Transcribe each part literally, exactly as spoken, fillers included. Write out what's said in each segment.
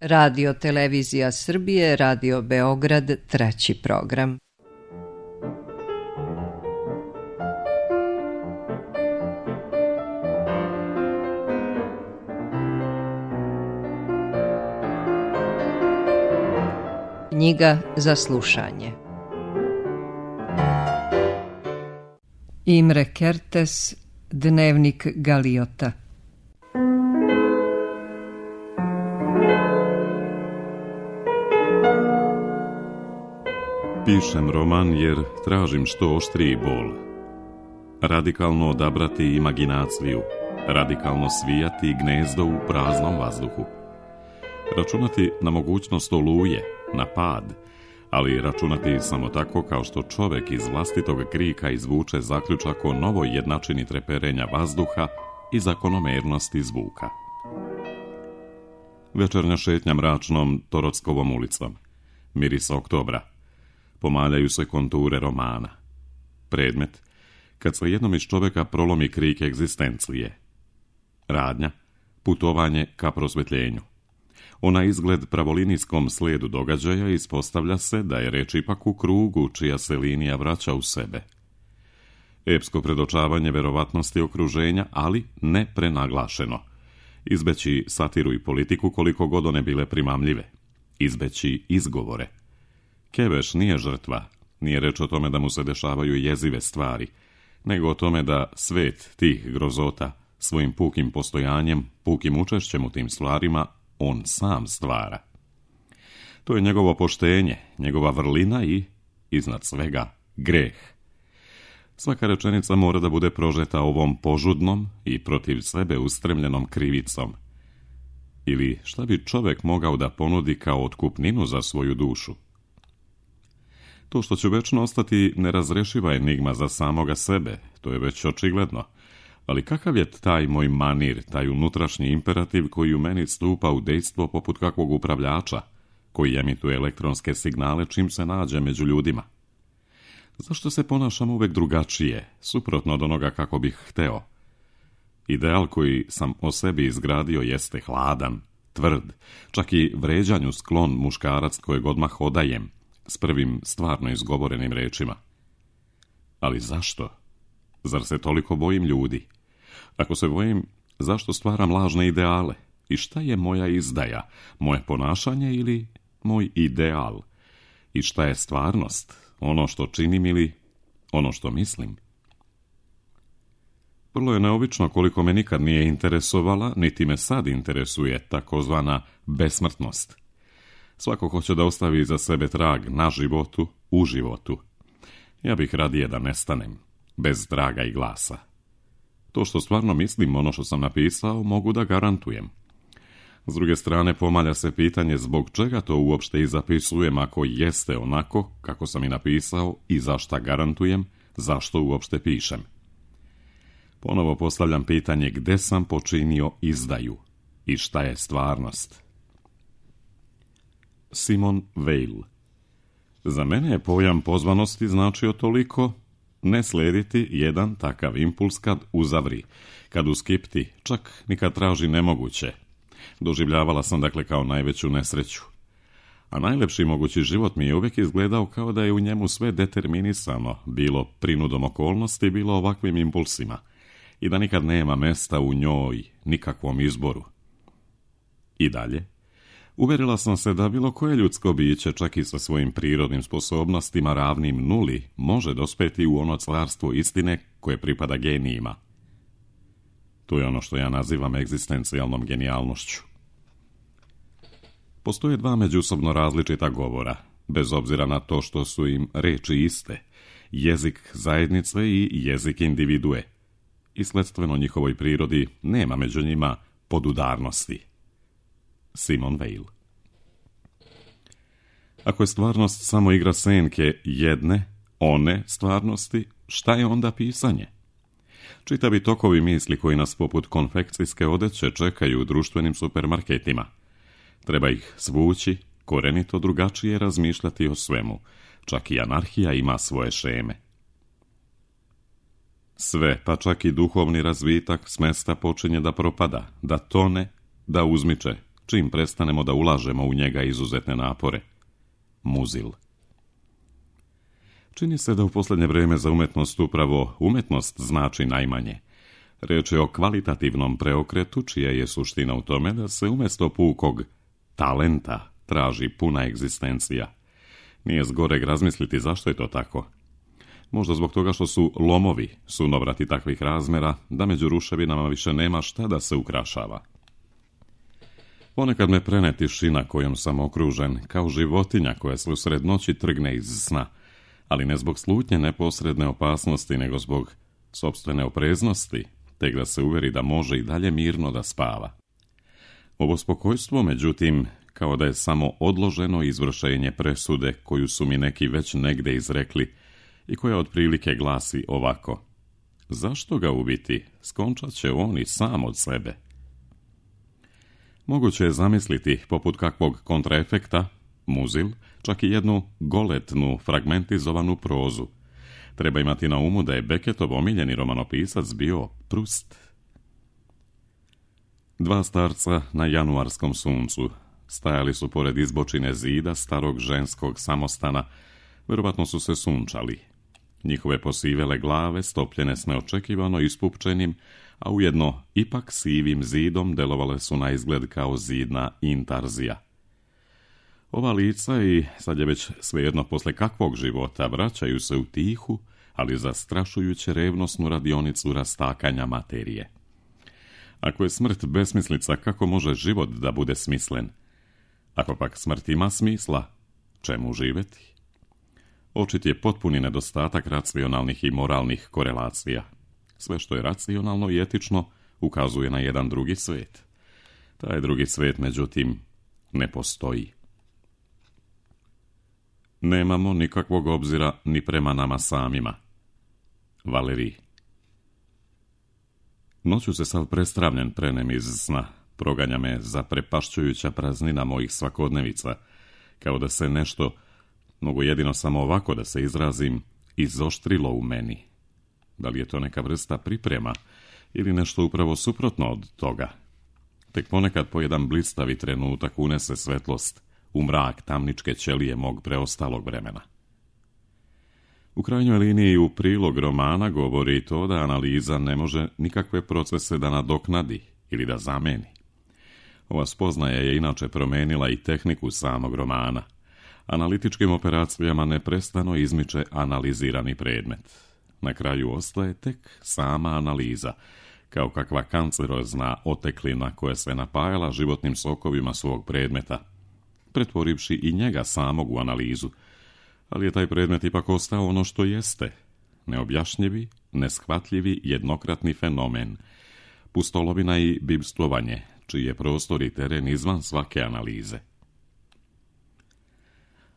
Radio Televizija Srbije, Radio Beograd, treći program. Knjiga za slušanje. Imre Kertész, Dnevnik Galiota. Pišem roman jer tražim što oštriji bol. Radikalno odabrati imaginaciju, radikalno svijati gnezdo u praznom vazduhu. Računati na mogućnost oluje, na pad, ali računati samo tako kao što čovjek iz vlastitog krika izvuče zaključak o novoj jednačini treperenja vazduha i zakonomernosti zvuka. Večernja šetnja mračnom Torockovom ulicom. Miris oktobra. Pomaljaju se konture romana. Predmet, kad se jednom iz čovjeka prolomi krik egzistencije. Radnja, putovanje ka prosvjetljenju. Ona izgled pravolinijskom slijedu događaja ispostavlja se da je reč ipak u krugu čija se linija vraća u sebe. Epsko predočavanje verovatnosti okruženja, ali ne prenaglašeno. Izbeći satiru i politiku koliko god one bile primamljive. Izbeći izgovore. Keveš nije žrtva, nije reč o tome da mu se dešavaju jezive stvari, nego o tome da svet tih grozota svojim pukim postojanjem, pukim učešćem u tim stvarima, on sam stvara. To je njegovo poštenje, njegova vrlina i, iznad svega, greh. Svaka rečenica mora da bude prožeta ovom požudnom i protiv sebe ustremljenom krivicom. Ili šta bi čovjek mogao da ponudi kao otkupninu za svoju dušu? To što će večno ostati nerazrešiva enigma za samoga sebe, to je već očigledno. Ali kakav je taj moj manir, taj unutrašnji imperativ koji u meni stupa u dejstvo poput kakvog upravljača, koji emituje elektronske signale čim se nađe među ljudima? Zašto se ponašam uvek drugačije, suprotno od onoga kako bih hteo? Ideal koji sam o sebi izgradio jeste hladan, tvrd, čak i vređanju sklon muškarac kojeg odmah odajem, s prvim stvarno izgovorenim rečima. Ali zašto? Zar se toliko bojim ljudi? Ako se bojim, zašto stvaram lažne ideale? I šta je moja izdaja? Moje ponašanje ili moj ideal? I šta je stvarnost? Ono što činim ili ono što mislim? Vrlo je neobično koliko me nikad nije interesovala, niti me sad interesuje takozvana besmrtnost. Svako hoće da ostavi iza sebe trag na životu, u životu. Ja bih radije da nestanem, bez traga i glasa. To što stvarno mislim, ono što sam napisao, mogu da garantujem. S druge strane, pomalja se pitanje zbog čega to uopšte i zapisujem ako jeste onako kako sam i napisao i zašta garantujem, zašto uopšte pišem. Ponovo postavljam pitanje gde sam počinio izdaju i šta je stvarnost. Simone Weil. Za mene je pojam pozvanosti značio toliko ne slediti jedan takav impuls kad uzavri, kad uskipti, čak ni kad traži nemoguće. Doživljavala sam dakle kao najveću nesreću. A najlepši mogući život mi je uvijek izgledao kao da je u njemu sve determinisano, bilo prinudom okolnosti, bilo ovakvim impulsima, i da nikad nema mesta u njoj, nikakvom izboru. I dalje, uverila sam se da bilo koje ljudsko biće, čak i sa svojim prirodnim sposobnostima ravnim nuli, može dospeti u ono carstvo istine koje pripada genijima. To je ono što ja nazivam egzistencijalnom genijalnošću. Postoje dva međusobno različita govora, bez obzira na to što su im reči iste, jezik zajednice i jezik individue. I sledstveno njihovoj prirodi nema među njima podudarnosti. Simone Weil. Ako je stvarnost samo igra senke jedne, one stvarnosti, šta je onda pisanje? Čitavi tokovi misli koji nas poput konfekcijske odeće čekaju u društvenim supermarketima. Treba ih svući, korenito drugačije razmišljati o svemu. Čak i anarhija ima svoje šeme. Sve, pa čak i duhovni razvitak s mesta počinje da propada, da tone, da uzmiče, čim prestanemo da ulažemo u njega izuzetne napore. Muzil. Čini se da u posljednje vrijeme za umetnost upravo umetnost znači najmanje. Riječ je o kvalitativnom preokretu, čija je suština u tome da se umjesto pukog talenta traži puna egzistencija. Nije zgoreg razmisliti zašto je to tako. Možda zbog toga što su lomovi sunovrati takvih razmjera, da među ruševinama više nema šta da se ukrašava. Ponekad me prene tišina kojom sam okružen, kao životinja koja se usred noći trgne iz sna, ali ne zbog slutnje neposredne opasnosti, nego zbog sopstvene opreznosti, tek da se uveri da može i dalje mirno da spava. Ovo spokojstvo, međutim, kao da je samo odloženo izvršenje presude koju su mi neki već negde izrekli i koja otprilike glasi ovako: zašto ga ubiti? Skončat će on i sam od sebe. Moguće je zamisliti, poput kakvog kontraefekta, muzil, čak i jednu goletnu, fragmentizovanu prozu. Treba imati na umu da je Becketov omiljeni romanopisac bio Proust. Dva starca na januarskom suncu stajali su pored izbočine zida starog ženskog samostana, vjerovatno su se sunčali. Njihove posivele glave, stopljene s neočekivano ispupčenim, a ujedno ipak sivim zidom, delovale su na izgled kao zidna intarzija. Ova lica, i sad je već svejedno posle kakvog života, vraćaju se u tihu, ali zastrašujuće revnosnu radionicu rastakanja materije. Ako je smrt besmislica, kako može život da bude smislen? Ako pak smrt ima smisla, čemu živjeti? Očit je potpuni nedostatak racionalnih i moralnih korelacija. Sve što je racionalno i etično ukazuje na jedan drugi svijet. Taj drugi svijet, međutim, ne postoji. Nemamo nikakvog obzira ni prema nama samima. Valerij. Noću se sav prestravljen prenem iz sna, proganja me zaprepašćujuća praznina mojih svakodnevica, kao da se nešto, mogu jedino samo ovako da se izrazim, izoštrilo u meni. Da li je to neka vrsta priprema ili nešto upravo suprotno od toga? Tek ponekad po jedan blistavi trenutak unese svetlost u mrak tamničke ćelije mog preostalog vremena. U krajnjoj liniji u prilog romana govori to da analiza ne može nikakve procese da nadoknadi ili da zameni. Ova spoznaja je inače promenila i tehniku samog romana. Analitičkim operacijama neprestano izmiče analizirani predmet. Na kraju ostaje tek sama analiza, kao kakva kancerozna oteklina koja se napajala životnim sokovima svog predmeta, pretvorivši i njega samog u analizu, ali je taj predmet ipak ostao ono što jeste, neobjašnjivi, neshvatljivi, jednokratni fenomen, pustolovina i bibstvovanje, čiji je prostor i teren izvan svake analize.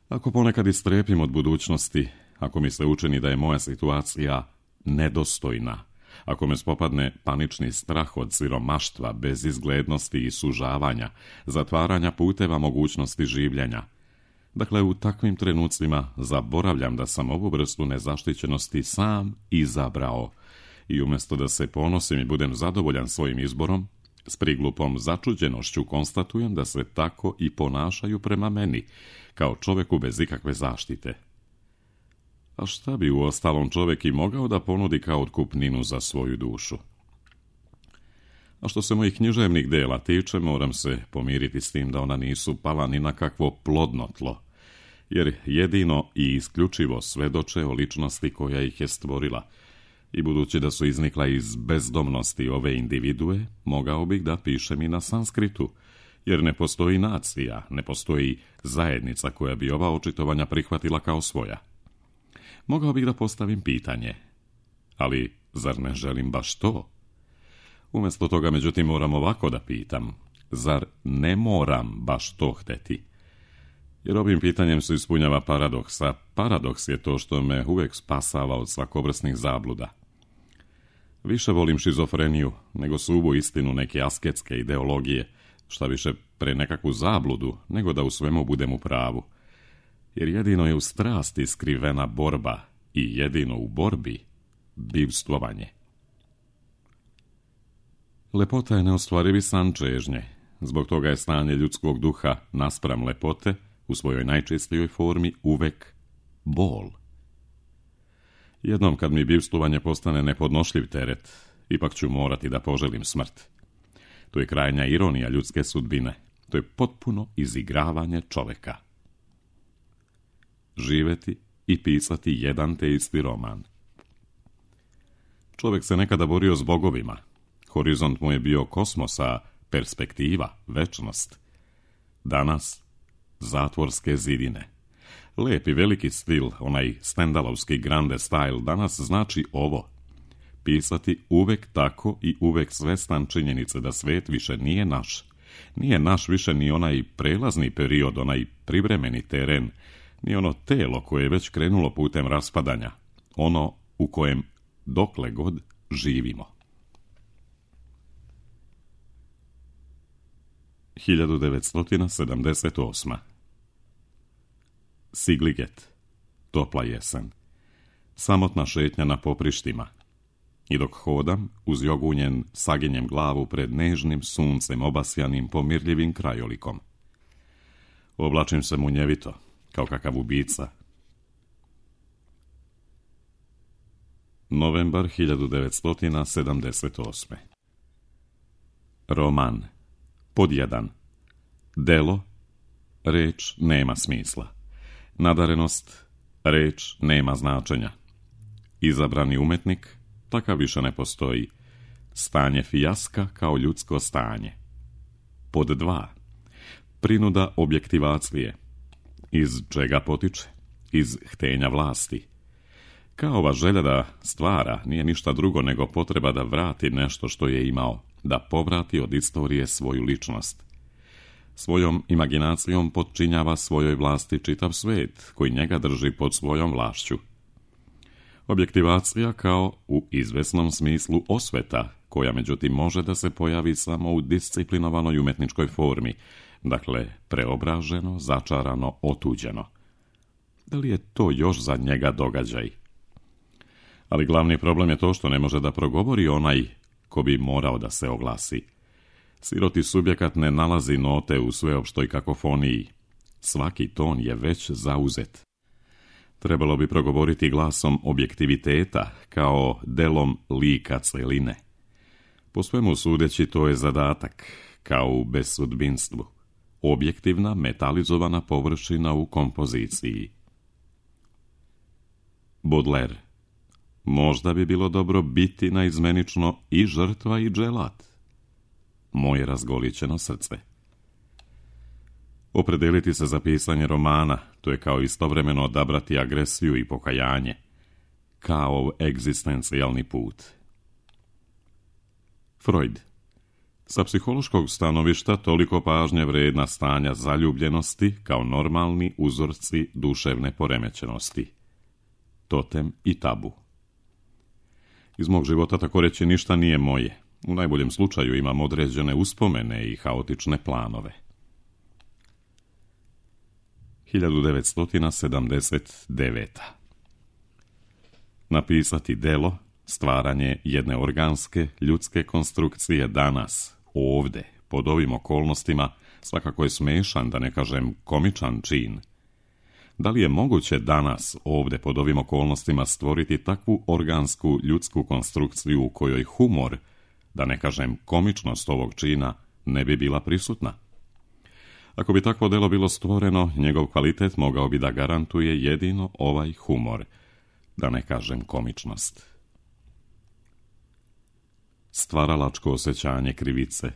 Ako ponekad istrepim od budućnosti, ako mi se učini da je moja situacija nedostojna, ako me spopadne panični strah od siromaštva, bezizglednosti i sužavanja, zatvaranja puteva mogućnosti življenja, dakle u takvim trenucima zaboravljam da sam ovu vrstu nezaštićenosti sam izabrao i umjesto da se ponosim i budem zadovoljan svojim izborom, s priglupom začuđenošću konstatujem da se tako i ponašaju prema meni, kao čoveku bez ikakve zaštite. A šta bi u ostalom čovjek i mogao da ponudi kao otkupninu za svoju dušu? A što se mojih književnih dela tiče, moram se pomiriti s tim da ona nisu pala ni na kakvo plodno tlo, jer jedino i isključivo svedoče o ličnosti koja ih je stvorila, i budući da su iznikla iz bezdomnosti ove individue, mogao bih da pišem i na sanskritu, jer ne postoji nacija, ne postoji zajednica koja bi ova očitovanja prihvatila kao svoja. Mogao bih da postavim pitanje, ali zar ne želim baš to? Umjesto toga, međutim, moram ovako da pitam, zar ne moram baš to hteti? Jer ovim pitanjem se ispunjava paradoks, a paradoks je to što me uvijek spasava od svakovrsnih zabluda. Više volim šizofreniju nego suvu istinu neke asketske ideologije, šta više pre nekakvu zabludu nego da u svemu budem u pravu. Jer jedino je u strasti skrivena borba i jedino u borbi bivstvovanje. Lepota je neostvarivi san čežnje, zbog toga je stanje ljudskog duha naspram lepote u svojoj najčistijoj formi uvek bol. Jednom kad mi bivstvovanje postane nepodnošljiv teret, ipak ću morati da poželim smrt. To je krajnja ironija ljudske sudbine. To je potpuno izigravanje čoveka. Živeti i pisati jedan te isti roman. Čovjek se nekada borio s bogovima. Horizont mu je bio kosmosa, perspektiva, večnost. Danas zatvorske zidine. Lep i veliki stil, onaj stendalovski grande style, danas znači ovo. Pisati uvek tako i uvek svestan činjenice da svet više nije naš. Nije naš više ni onaj prelazni period, onaj privremeni teren, ni ono telo koje je već krenulo putem raspadanja, ono u kojem dokle god živimo. hiljadu devetsto sedamdeset osma. Sigliget, topla jesen, samotna šetnja na poprištima. I dok hodam, uz jogunjen, saginjem glavu pred nežnim suncem obasjanim pomirljivim krajolikom. Oblačim se munjevito, kao kakav ubica. Novembar hiljadu devetsto sedamdeset osme. Roman. Pod jedan. Delo. Reč nema smisla. Nadarenost. Reč nema značenja. Izabrani umetnik. Takav više ne postoji. Stanje fijaska kao ljudsko stanje. Pod dva. Prinuda objektivacije. Iz čega potiče? Iz htenja vlasti. Kao ova želja da stvara nije ništa drugo nego potreba da vrati nešto što je imao, da povrati od istorije svoju ličnost. Svojom imaginacijom potčinjava svojoj vlasti čitav svet koji njega drži pod svojom vlašću. Objektivacija kao u izvesnom smislu osveta, koja međutim može da se pojavi samo u disciplinovanoj umetničkoj formi, dakle preobraženo, začarano, otuđeno. Da li je to još za njega događaj? Ali glavni problem je to što ne može da progovori onaj ko bi morao da se oglasi. Siroti subjekat ne nalazi note u sveopštoj kakofoniji. Svaki ton je već zauzet. Trebalo bi progovoriti glasom objektiviteta, kao delom lika celine. Po svemu sudeći to je zadatak, kao u besudbinstvu. Objektivna, metalizovana površina u kompoziciji. Baudelaire. Možda bi bilo dobro biti naizmenično i žrtva i dželat. Moje razgolićeno srce. Opredeliti se za pisanje romana, to je kao istovremeno odabrati agresiju i pokajanje. Kao egzistencijalni put. Freud. Sa psihološkog stanovišta toliko pažnje vredna stanja zaljubljenosti kao normalni uzorci duševne poremećenosti. Totem i tabu. Iz mog života tako reći ništa nije moje. U najboljem slučaju imam određene uspomene i haotične planove. hiljadu devetsto sedamdeset deveta. Napisati delo, stvaranje jedne organske, ljudske konstrukcije danas, ovde, pod ovim okolnostima, svakako je smešan, da ne kažem komičan čin. Da li je moguće danas, ovde, pod ovim okolnostima, stvoriti takvu organsku, ljudsku konstrukciju u kojoj humor, da ne kažem komičnost ovog čina, ne bi bila prisutna? Ako bi takvo delo bilo stvoreno, njegov kvalitet mogao bi da garantuje jedino ovaj humor, da ne kažem komičnost. Stvaralačko osjećanje krivice.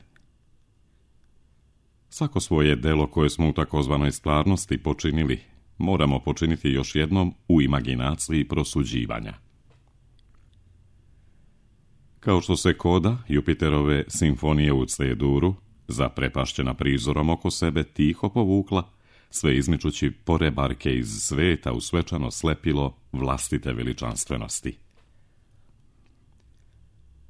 Svako svoje delo koje smo u takozvanoj stvarnosti počinili, moramo počiniti još jednom u imaginaciji prosuđivanja. Kao što se koda Jupiterove simfonije u C-duru, zaprepašćena prizorom oko sebe, tiho povukla, sve izmičući porebarke iz sveta u svečano slepilo vlastite veličanstvenosti.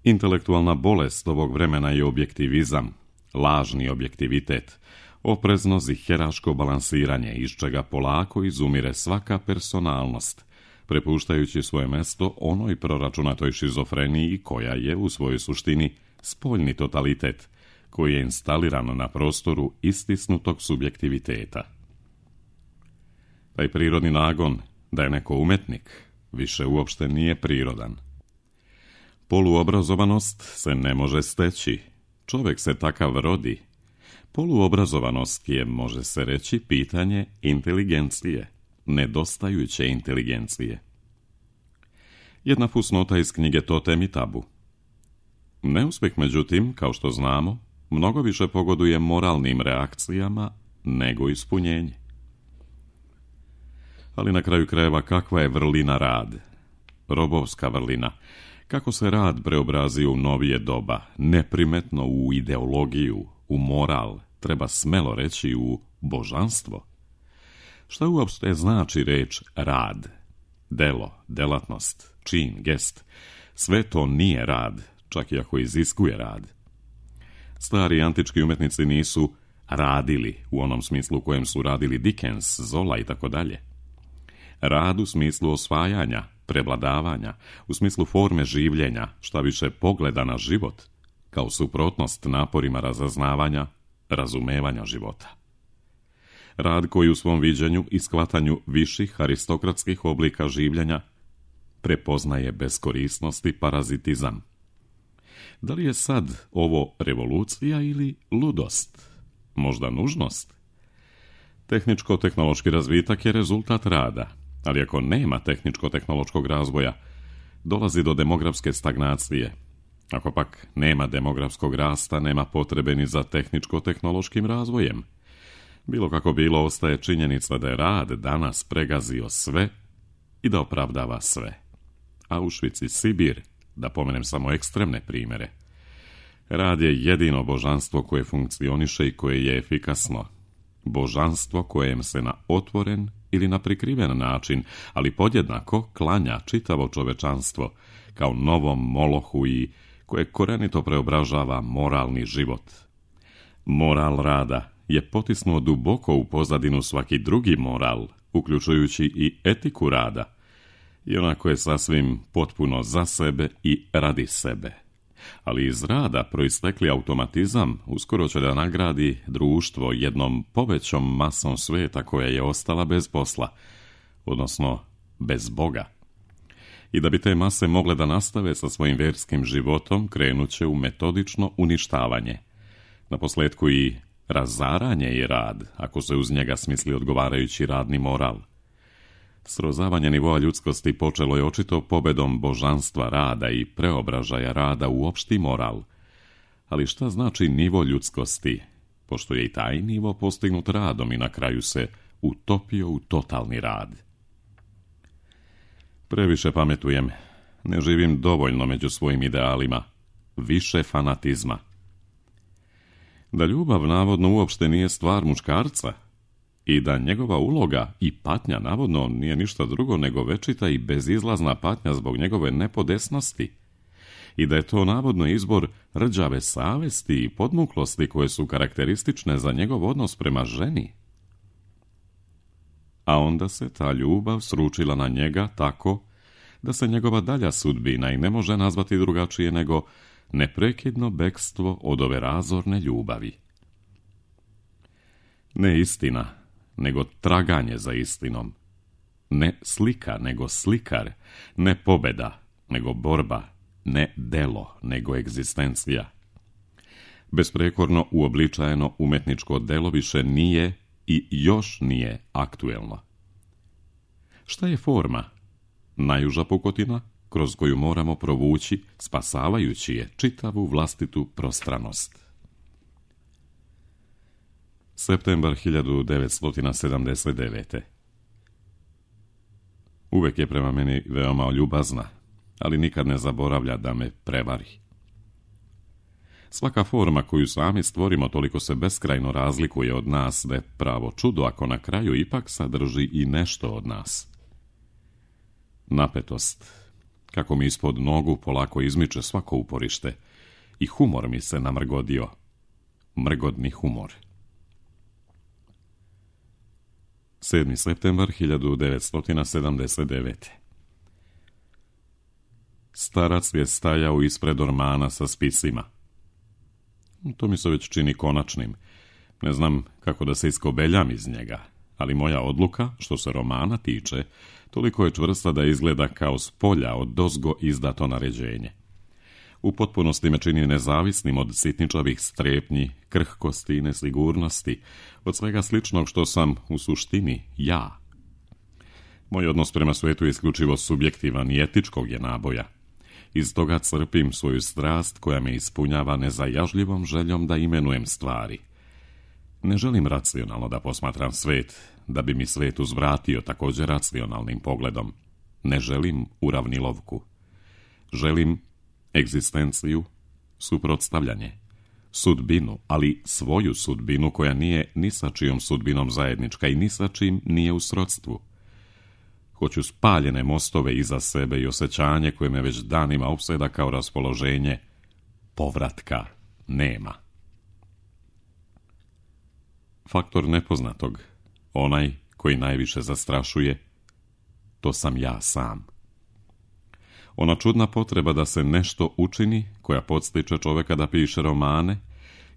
Intelektualna bolest ovog vremena je objektivizam, lažni objektivitet, oprezno ziheraško balansiranje, iz čega polako izumire svaka personalnost, prepuštajući svoje mesto onoj proračunatoj šizofreniji koja je u svojoj suštini spoljni totalitet, koji je instaliran na prostoru istisnutog subjektiviteta. Taj prirodni nagon da je neko umetnik više uopšte nije prirodan. Poluobrazovanost se ne može steći, čovjek se takav rodi. Poluobrazovanost je, može se reći, pitanje inteligencije, nedostajuće inteligencije. Jedna fusnota iz knjige Totem i tabu. Neuspjeh, međutim, kao što znamo, mnogo više pogoduje moralnim reakcijama nego ispunjenje. Ali na kraju krajeva, kakva je vrlina rad? Robovska vrlina. Kako se rad preobrazio u novije doba, neprimetno u ideologiju, u moral, treba smelo reći u božanstvo. Šta uopšte znači reč rad? Delo, delatnost, čin, gest. Sve to nije rad, čak i ako iziskuje rad. Stari antički umetnici nisu radili u onom smislu u kojem su radili Dickens, Zola i tako dalje. Rad u smislu osvajanja, prevladavanja, u smislu forme življenja, šta više pogleda na život, kao suprotnost naporima razaznavanja, razumevanja života. Rad koji u svom viđenju i shvatanju viših aristokratskih oblika življenja prepoznaje beskorisnost i parazitizam. Da li je sad ovo revolucija ili ludost? Možda nužnost? Tehničko-tehnološki razvitak je rezultat rada, ali ako nema tehničko-tehnološkog razvoja, dolazi do demografske stagnacije. Ako pak nema demografskog rasta, nema potrebe ni za tehničko-tehnološkim razvojem. Bilo kako bilo, ostaje činjenica da je rad danas pregazio sve i da opravdava sve. Auschwitz i Sibir, da pomenem samo ekstremne primjere. Rad je jedino božanstvo koje funkcioniše i koje je efikasno. Božanstvo kojem se na otvoren ili na prikriven način, ali podjednako klanja čitavo čovečanstvo kao novom molohu i koje korenito preobražava moralni život. Moral rada je potisnuo duboko u pozadinu svaki drugi moral, uključujući i etiku rada, i onako je sasvim potpuno za sebe i radi sebe. Ali iz rada proistekli automatizam uskoro će da nagradi društvo jednom povećom masom svijeta koja je ostala bez posla, odnosno bez Boga. I da bi te mase mogle da nastave sa svojim vjerskim životom, krenut će u metodično uništavanje. Naposljetku i razaranje i rad, ako se uz njega smisli odgovarajući radni moral. Srozavanje nivoa ljudskosti počelo je očito pobedom božanstva rada i preobražaja rada u opšti moral. Ali šta znači nivo ljudskosti, pošto je i taj nivo postignut radom i na kraju se utopio u totalni rad? Previše pametujem, ne živim dovoljno među svojim idealima, više fanatizma. Da ljubav navodno uopšte nije stvar muškarca i da njegova uloga i patnja navodno nije ništa drugo nego večita i bezizlazna patnja zbog njegove nepodesnosti i da je to navodno izbor rđave savesti i podmuklosti koje su karakteristične za njegov odnos prema ženi. A onda se ta ljubav sručila na njega tako da se njegova dalja sudbina i ne može nazvati drugačije nego neprekidno bekstvo od ove razorne ljubavi. Ne istina, nego traganje za istinom. Ne slika, nego slikar. Ne pobeda, nego borba. Ne delo, nego egzistencija. Besprekorno uobličajeno umetničko delo više nije i još nije aktuelno. Šta je forma? Najuža pukotina kroz koju moramo provući, spasavajući je čitavu vlastitu prostranost. Septembar hiljadu devetsto sedamdeset devete. Uvek je prema meni veoma ljubazna, ali nikad ne zaboravlja da me prevari. Svaka forma koju sami stvorimo toliko se beskrajno razlikuje od nas da je pravo čudo ako na kraju ipak sadrži i nešto od nas. Napetost, kako mi ispod nogu polako izmiče svako uporište, i humor mi se namrgodio. Mrgodni humor. sedmi septembar hiljadu devetsto sedamdeset devete. Starac je stajao ispred ormana sa spisima. To mi se već čini konačnim. Ne znam kako da se iskobeljam iz njega, ali moja odluka, što se romana tiče, toliko je čvrsta da izgleda kao s polja od dozgo izdato naređenje. U potpunosti me čini nezavisnim od sitničavih strepnji, krhkosti i nesigurnosti, od svega sličnog što sam u suštini ja. Moj odnos prema svijetu je isključivo subjektivan i etičkog je naboja. Iz toga crpim svoju strast koja me ispunjava nezajažljivom željom da imenujem stvari. Ne želim racionalno da posmatram svijet, da bi mi svijet uzvratio također racionalnim pogledom. Ne želim uravnilovku. Želim egzistenciju, suprotstavljanje, sudbinu, ali svoju sudbinu koja nije ni sa čijom sudbinom zajednička i ni sa čim nije u srodstvu. Hoću spaljene mostove iza sebe i osjećanje koje me već danima opseda kao raspoloženje. Povratka nema. Faktor nepoznatog, onaj koji najviše zastrašuje, to sam ja sam. Ona čudna potreba da se nešto učini, koja podstiče čovjeka da piše romane,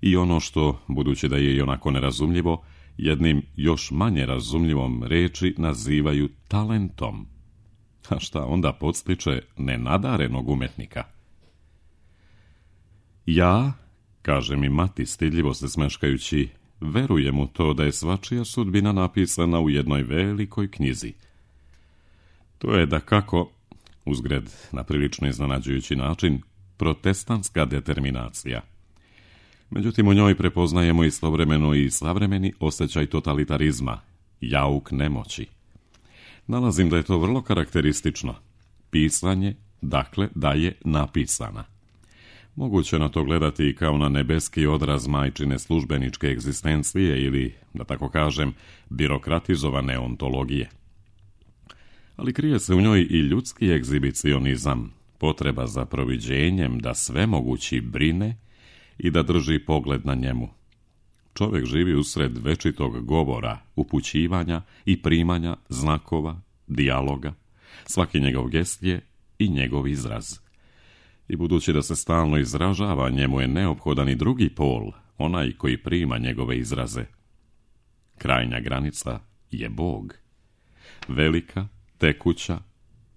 i ono što, budući da je i onako nerazumljivo, jednim još manje razumljivom reči nazivaju talentom. A šta onda podstiče nenadarenog umetnika? Ja, kaže mi mati stidljivo se smeškajući, verujem u to da je svačija sudbina napisana u jednoj velikoj knjizi. To je dakako, uzgred na prilično iznenađujući način, protestantska determinacija. Međutim, u njoj prepoznajemo istovremeno i savremeni osjećaj totalitarizma, jauk nemoći. Nalazim da je to vrlo karakteristično. Pisanje, dakle, da je napisana. Moguće na to gledati i kao na nebeski odraz majčine službeničke egzistencije ili, da tako kažem, birokratizovane ontologije. Ali krije se u njoj i ljudski egzibicionizam, potreba za proviđenjem da svemogući brine i da drži pogled na njemu. Čovjek živi usred večitog govora, upućivanja i primanja znakova, dijaloga. Svaki njegov gest je i njegov izraz. I budući da se stalno izražava, njemu je neophodan i drugi pol, onaj koji prima njegove izraze. Krajnja granica je Bog. Velika, tekuća,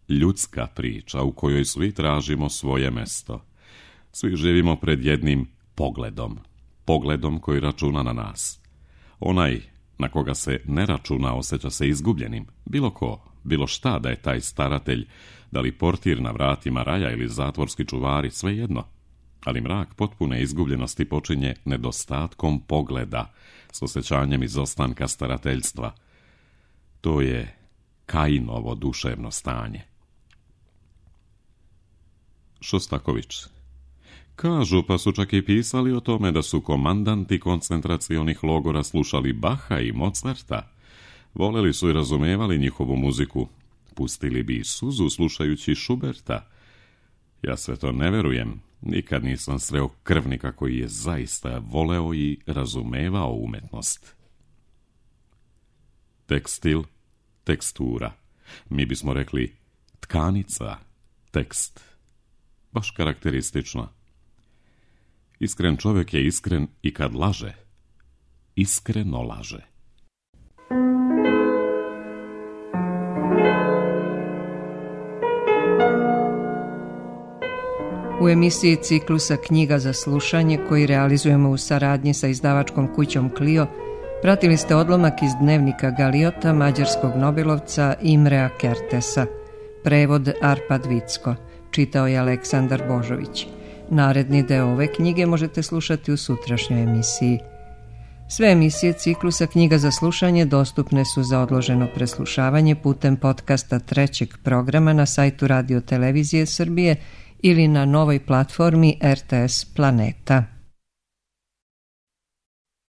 ljudska priča u kojoj svi tražimo svoje mesto. Svi živimo pred jednim pogledom. Pogledom koji računa na nas. Onaj na koga se ne računa osjeća se izgubljenim. Bilo ko, bilo šta da je taj staratelj, da li portir na vratima raja ili zatvorski čuvari, svejedno. Ali mrak potpune izgubljenosti počinje nedostatkom pogleda, s osjećanjem izostanka starateljstva. To je Kainovo duševno stanje. Šostaković. Kažu, pa su čak i pisali o tome da su komandanti koncentracionih logora slušali Baha i Mozarta. Voleli su i razumevali njihovu muziku. Pustili bi i suzu slušajući Schuberta. Ja sve to ne verujem. Nikad nisam sreo krvnika koji je zaista voleo i razumevao umetnost. Tekstil, tekstura. Mi bismo rekli tkanica, tekst. Baš karakteristično. Iskren čovjek je iskren i kad laže. Iskreno laže. U emisiji ciklusa Knjiga za slušanje, koji realizujemo u saradnji sa izdavačkom kućom Clio, pratili ste odlomak iz dnevnika Galiota mađarskog nobelovca Imrea Kertesa. Prevod Arpad Vicko. Čitao je Aleksandar Božović. Naredni deo ove knjige možete slušati u sutrašnjoj emisiji. Sve emisije ciklusa Knjiga za slušanje dostupne su za odloženo preslušavanje putem podcasta trećeg programa na sajtu Radio Televizije Srbije ili na novoj platformi R T S Planeta.